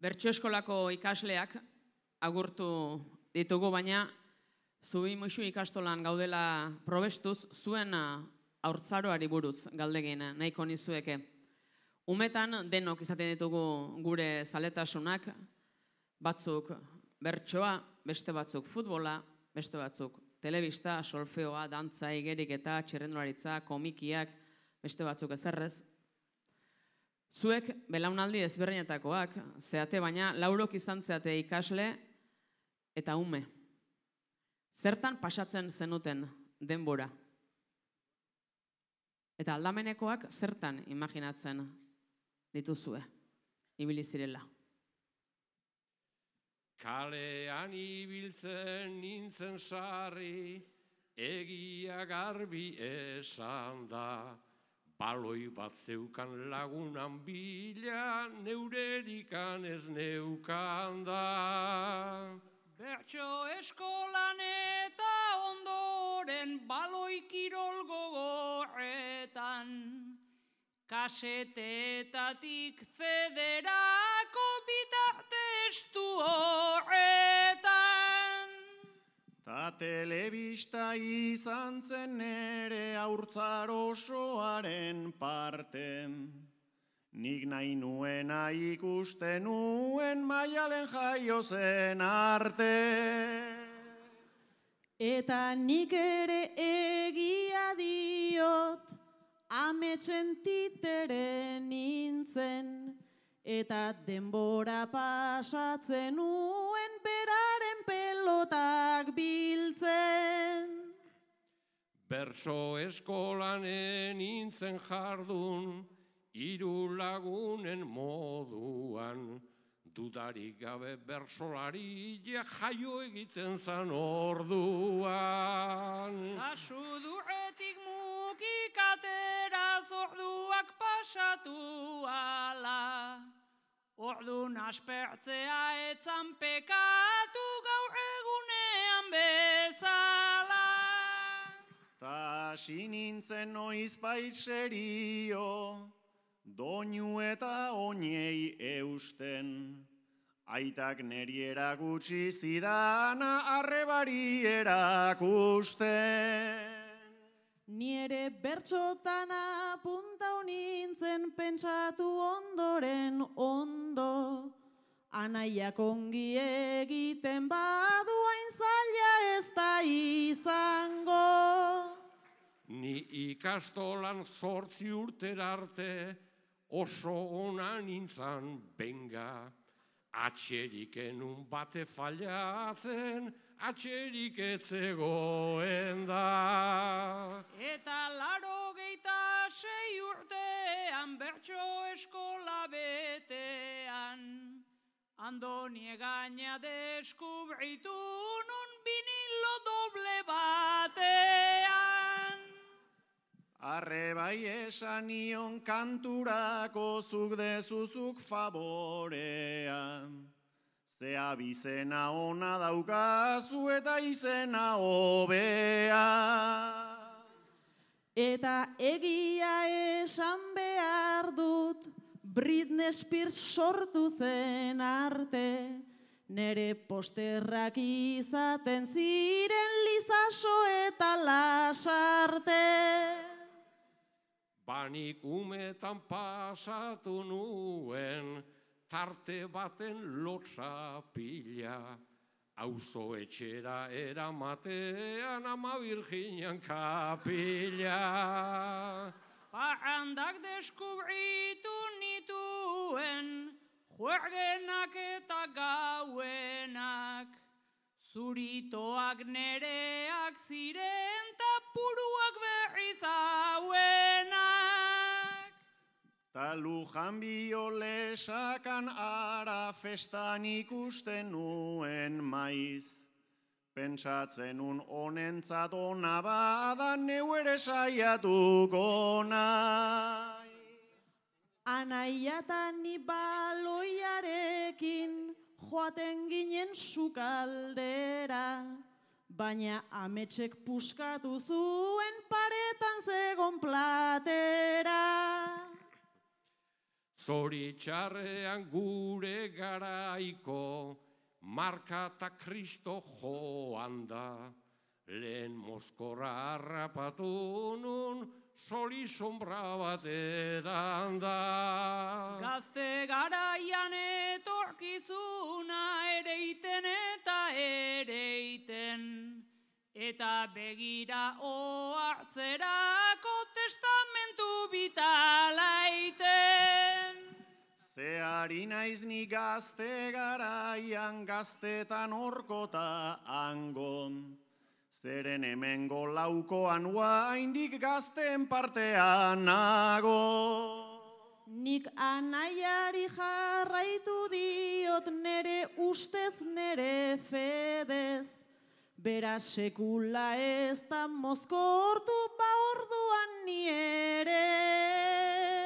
Bertso eskolako ikasleak agurtu ditugu, baina Zubi Muxu ikastolan gaudela probestuz, zuen haurtzaroari buruz galdegin nahiko nizueke. Umetan denok izaten ditugu gure zaletasunak, batzuk bertsoa, beste batzuk futbola, beste batzuk telebista, solfeoa, dantza, igeriketa, txirrendularitza, komikiak, beste batzuk ezerrez. Zuek belaunaldi ezberdinetakoak zeate, baina laurok izan zeate ikasle eta ume. Zertan pasatzen zenuten denbora? Eta aldamenekoak zertan imaginatzen dituzue, ibili zirela? Kalean ibiltzen nintzen sarri, egia garbi esan da. Baloi bat zeukan lagunan bila, neurerikan ez neukan da. Bertso eskolan eta ondoren baloi kirol gogorretan, kasetetatik zederako bitartestu horretan. Ta telebista izan zen nere haurtzaro osoaren parte, nik nahi nuena ikusten nuen Maialen jaio zen arte. Eta nik ere egia diot, ametsen titere nintzen, eta denbora pasatzen nuen beraren pelotak biltzen. Bertso eskolan nintzen jardun, hiru lagunen moduan, dudarik gabe bersolari jaio egiten zan orduan. Asudurretik mukikatera zorduak pasatu ala, ordun aspertzea etzan pekatu gaur egunean bezala. Ta hasi nintzen noizbait serio, doinu eta oinei eusten, aitak neri erakutsi zidana arrebari erakusten. Ni ere bertxotan apuntau nintzen pentsatu ondoren ondo, anaiak ongi egiten badu hain zaila ez da izango. Ni ikastolan 8 urtera arte, oso ona nintzan benga, atxerik enun bate fallatzen, atxerik etzegoen da. Eta 86 urtean bertso eskola betean, Andoni egaina deskubritu nun vinilo doble batean. Arre bai esan nion kanturako zuk dezuzuk favorea, ze abizena ona daukazu eta izena hobea. Eta egia esan behar dut, Britney Spears sortu zen arte, nere posterrak izaten ziren Lizaso eta Lasarte. Banik umetan pasatu nuen, tarte baten lotsa pila, auzo etxera eramatean ama Virginian kapila. Parrandak deskubritu nituen, juergenak eta gauenak, zuritoak nereak ziren ta puruak berriz hauenak. Ta Lujan biolesakan ara festan ikusten nuen maiz, pentsatzen un honentzat ona bada neu ere saiatuko naiz. Anaia eta ni baloiarekin joaten ginen sukaldera, baina ametsek puskatu zuen paretan zegon platera. Zoritxarrean gure garaiko, marka eta Kristo joan da. Lehen mozkorra harrapatu nun, soli sombra bateran da. Gazte garaian etorkizuna ereiten eta ereiten, eta begira ohartzerako testamentu bitalaiten. Zeari naiz ni gazte garaian, gaztetan orkota angon. Zeren hemengo laukoan oraindik gazten partean nago. Nik anaiari jarraitu diot nere ustez nere fedez. Bera sekula ez da mozkortu ba orduan ni ere.